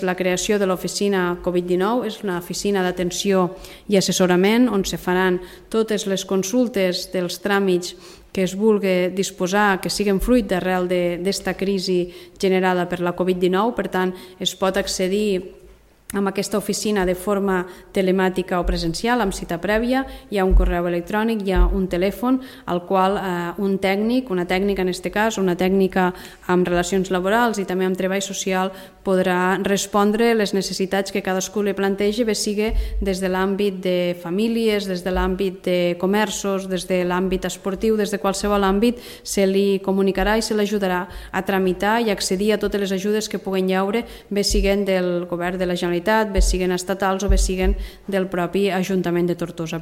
La creació de l'oficina Covid-19 és una oficina d'atenció i assessorament on se faran totes les consultes dels tràmits que es vulgui disposar, que siguin fruit d'arrel d'esta crisi generada per la Covid-19. Per tant, es pot accedir a aquesta oficina de forma telemàtica o presencial, amb cita prèvia. Hi ha un correu electrònic, hi ha un telèfon al qual un tècnic, una tècnica en aquest cas, una tècnica amb relacions laborals i també amb treball social, podrà respondre les necessitats que cadascú li plantegi, bé sigui des de l'àmbit de famílies, des de l'àmbit de comerços, des de l'àmbit esportiu, des de qualsevol àmbit, se li comunicarà i se l'ajudarà a tramitar i accedir a totes les ajudes que puguen llaure, bé siguen del govern de la Generalitat, bé siguen estatals o bé siguen del propi Ajuntament de Tortosa.